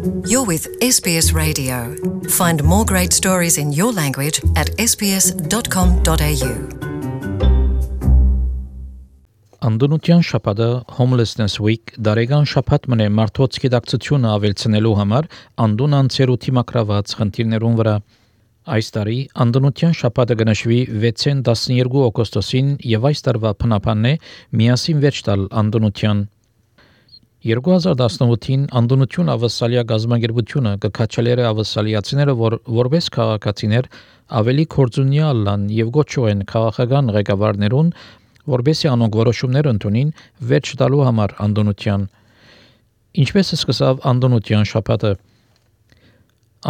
You're with SBS Radio. Find more great stories in your language at sbs.com.au. Անդոնության շաբաթը Homelessness Week դարեգան շաբաթ մնե մարդոց գիտակցությունը ավելցնելու համար անդոն անցերու թիմակրաված խնդիրներուն վրա այս տարի անդոնության շաբաթը գնահատվի 6-ին 12 օգոստոսին եւ այս տարվա փնապանն է միասին վերջ տալ անդոնության 2018-ին անդոնություն ավասալիա գազագերբությունը կքաչելերը ավասալիացիները որպես քաղաքացիներ ավելի կորձունյալ լան եւ գոչու են քաղաքական ղեկավարներուն որբեսի անոնք որոշումներ ընդունին վերջ տալու համար անդոնության ինչպես սկսավ անդոնության շաբաթը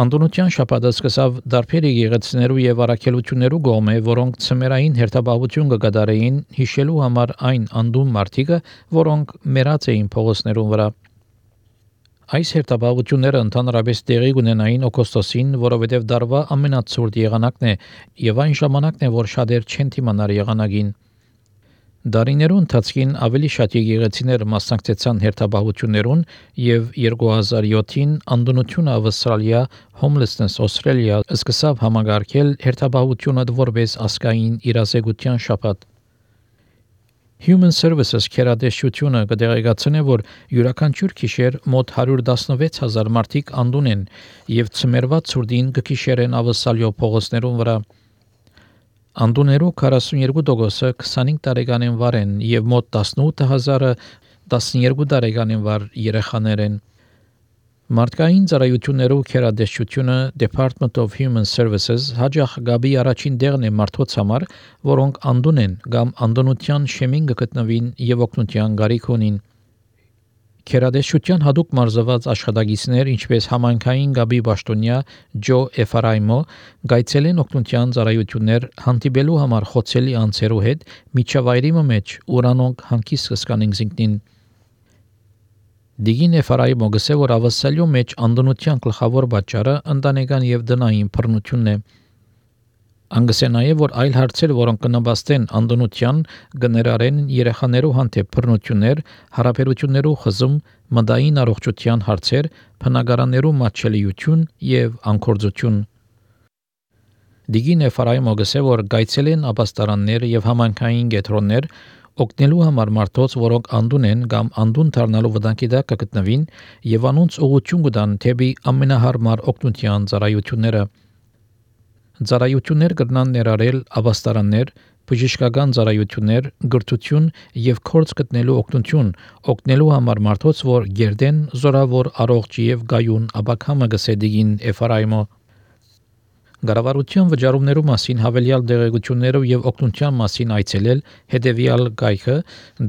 Անդոնության շաբաթը սկսավ դարբեր եկեղեցիներու եւ առաքելություններու գոմե, որոնք ցմերային հերթապահություն կգադարեին հիշելու համար այն անդուն մարդիկը, որոնք մեռած էին փողոցներուն վրա։ Այս հերթապահությունները ընդհանրապես տեղի կունենային օգոստոսին, որովհետեւ դարվա ամենացուրտ եղանակն է եւ այն ժամանակն է, որ շատեր չեն թիմանար եղանակին։ Դարիներու ընթացքին ավելի շատ եկեղեցիներ մասնակցեցան հերթապահություններուն եւ 2007-ին անդոնությունը ավստրալիա Homelessness Australia սկսավ համագարկել հերթապահությունը որպես ազգային իրազեկության շաբաթ Human Services քերադեշությունը կդեղեկացնե, որ յուրաքանչյուր գիշեր մոտ 116,000 մարդիկ անդուն են եւ ցմերվա ցուրտին կգիշերեն ավստրալիո փողոցներուն վրա Անդուներու 42%-ը 25 տարեկանին վար են եւ մոտ 18,000-ը 12 տարեկանին վար երեխաներ են։ Մարդկային ծառայություններու քերադեշությունը Department of Human Services հաջող գաբի առաջին դերն է մարդոց համար, որոնք անդուն են կամ անդոնության շեմին գտնվին եւ օգնության գարիք ունին։ Քերադեշության հadoop մարզված աշխատագիցներ, ինչպես համայնքային գաբի պաշտոնյա Ջո Էֆարայմո, գայցելեն օգնության ծառայություններ հանդիպելու համար խոցելի անձերու հետ միջավայրի մեջ, ուրանոնք հանգիստ կսկանին զինքնին։ Դիգին Էֆարայմո գսե, որ ավասալյո մեջ անդոնության գլխավոր պատճառը ընտանեկան եւ դնային բռնությունն է։ Անգսե նաև որ այլ հարցեր, որոնք կնպաստեն անդոնության գներարեն երեխաներու հանդեպ բռնություններ, հարաբերություններու խզում, մտային առողջության հարցեր, բնակարաններու մատչելիություն եւ անկորձություն։ Դիգին Էֆարայմո գսե, որ գայցելեն ապաստարաններ եւ համանքային կետրոններ օգնելու համար մարդոց, որոնք անդուն են կամ անդուն դառնալու վտանգի տակ կգտնվին եւ անոնց ուղղություն կտան թեպի ամենահարմար օգնության ծառայությունները։ Ծառայություններ կրնան ներառել ապաստարաններ, բժշկական ծառայություններ, գրթություն եւ կորց գտնելու օգնություն, օգնելու համար մարդոց, որ գերդեն զորավոր առողջ եւ գայուն ապակամը գսեդիգին Էֆարայմո Գարավարության վճարումներու մասին հավելյալ դեղեցություններով եւ օգնության մասին այցելել հետեւյալ գայքը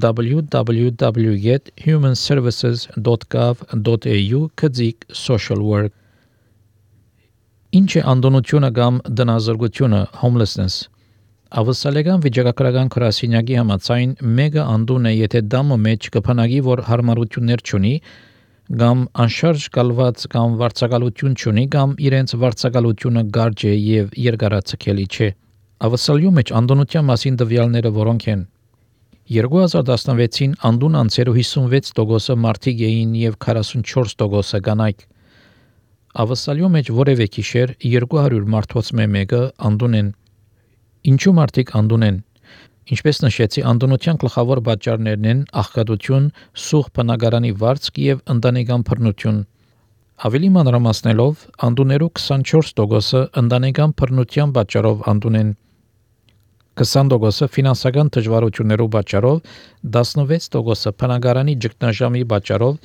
www.humanservices.gov.au/social work Ինչ է անդոնությունը կամ դնազրկությունը homelessness Ավսալեգան վիճակագրական քրասինյակի համաձայն մեգա անդուն է եթե դամը մեջ կփնագի որ հարմարություններ չունի կամ անշարժ կալված կամ վարձակալություն չունի կամ իրենց վարձակալությունը գարջ է եւ երկարացկելի չէ Ավսալյո մեջ անդոնության մասին տվյալները որոնք են 2016-ին անդուն անցերու 56% մարդիկ էին եւ 44% կանայք Ավսալյո մեջ որևէ գիշեր 200 մարդոց մեկը անդուն են Ինչու մարդիկ անդուն են Ինչպես նշեցի անդոնության գլխավոր պատճառներն են աղքատություն, սուղ բնակարանի վարձք եւ ընտանեկան բռնություն Ավելի մանրամասնելով անդուներու 24%-ը ընտանեկան բռնության պատճառով անդուն են 20%-ը ֆինանսական դժվարություններով պատճառով 16%-ը բնակարանի ճգնաժամի պատճառով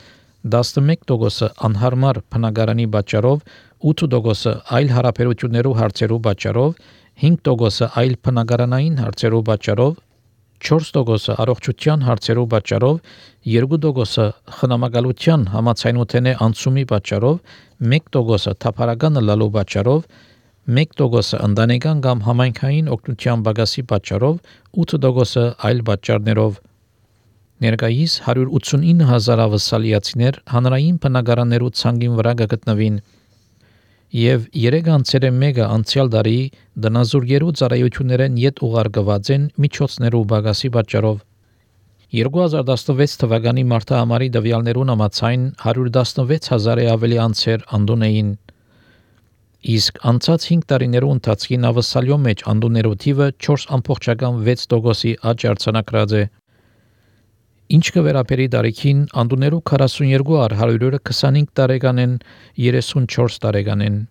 11%-ը անհարմար բնակարանի պատճառով 8%-ը այլ հարաբերություններու հարցերու պատճառով 5%-ը այլ բնակարանային հարցերու պատճառով 4%-ը առողջության հարցերու պատճառով 2%-ը խնամակալության համացանոթենե անցումի պատճառով 1%-ը թափառական լալու պատճառով 1%-ը ընտանեկան կամ համայնքային օգնության բագասի պատճառով 8%-ը այլ պատճառներով Ներկայիս 189,000 ավսալիացիներ հանրային բնակարաններու ցանկին վրա գտնվին եւ 3 անցերը մեգա անցյալ դարի դնազուրկերու ծառայություններեն յետ ուղարկված են միջոցներու բագասի պատճառով 2016 թվականի մարտահամարի դվյալներուն համաձայն 116,000-ի ավելի անձեր անդուն էին։ Իսկ անցած 5 տարիներու ընթացքին ավսալյո մեջ անդուններու թիվը 4.6%-ի աճ արձանագրած է։ Ինչ կվերապերի տարիքին անդուններու 42%-ը 25 տարեկան են, 34 տարեկան են։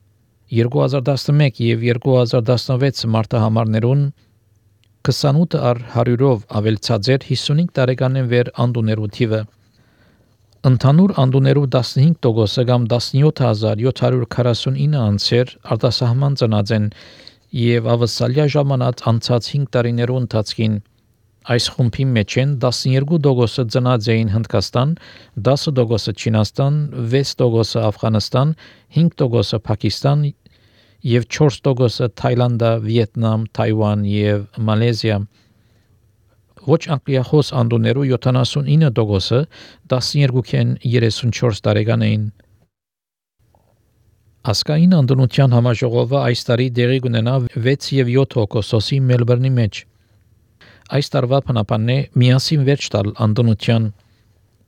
2011 եւ 2016 մարտահամարներուն 28%-ով ավելցած էր 55 տարեկանեն վեր անդուներու թիվը։ Ընդհանուր անդուներու 15%-ը կամ 17,749 անձեր արտասահման ծնած են եւ ավսալյա ժամանակ անցած 5 տարիներու ընթացքին այս խումբի մեջ են 12%-ը ծնած էին Հնդկաստան, 10%-ը Չինաստան, 6%-ը Աֆղանստան, 5%-ը Պակիստան եւ 4%-ը Թայլանդը, Վիետնամ, Թայվան եւ Մալեզիա։ Ոչ անգլիախոս անդուներու 79%-ը 12-ին 34 տարեկան էին։ Ասկային անդունության համաժողովը այս տարի դեղի կունենա 6 եւ 7 օգոստոսի Մելբուրնի մեջ։ Այս տարվա փնապանն է միասին վերջ տալ անդունության։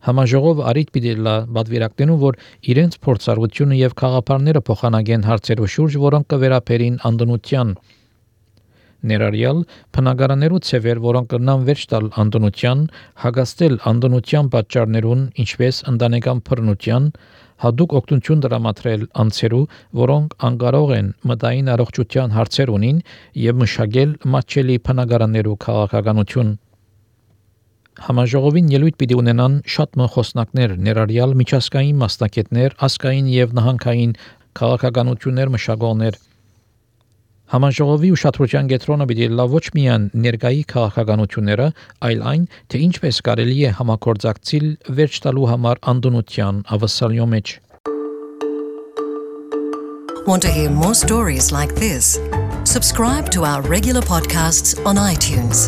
Համաժողովը արիտ պիտի լա բادرվիրակնելու, որ իրենց փորձառությունը եւ խաղապարները փոխանցեն հարցերու շուրջ, որոնք կվերապերին անդունության։ Ներառյալ բնակարաններու ցևեր, որոնք կնան վերջ տալ անդունության, հագաստել անդունության պատճառներուն, ինչպես ընտանեկան բռնության, հadoop օգնություն տրամադրել անձերու, որոնք անկարող են մտային առողջության հարցեր ունին եւ մշակել մատչելի բնակարաններու քաղաքականություն։ Համաժողովին ելույթ պիտի ունենան շատ խոսնակներ, ներառյալ միջազգային մասնակիցներ, ազգային եւ նահանգային քաղաքականություններ մշակողներ։ Համաժողովի ուշադրության կենտրոնը պիտի լա ոչ միայն ներկայի քաղաքականությունները, այլ այն, թե ինչպես կարելի է համագործակցել վերջ տալու համար անդունության ավսալյո մեջ։ Want to hear more stories like this? Subscribe to our regular podcasts on iTunes.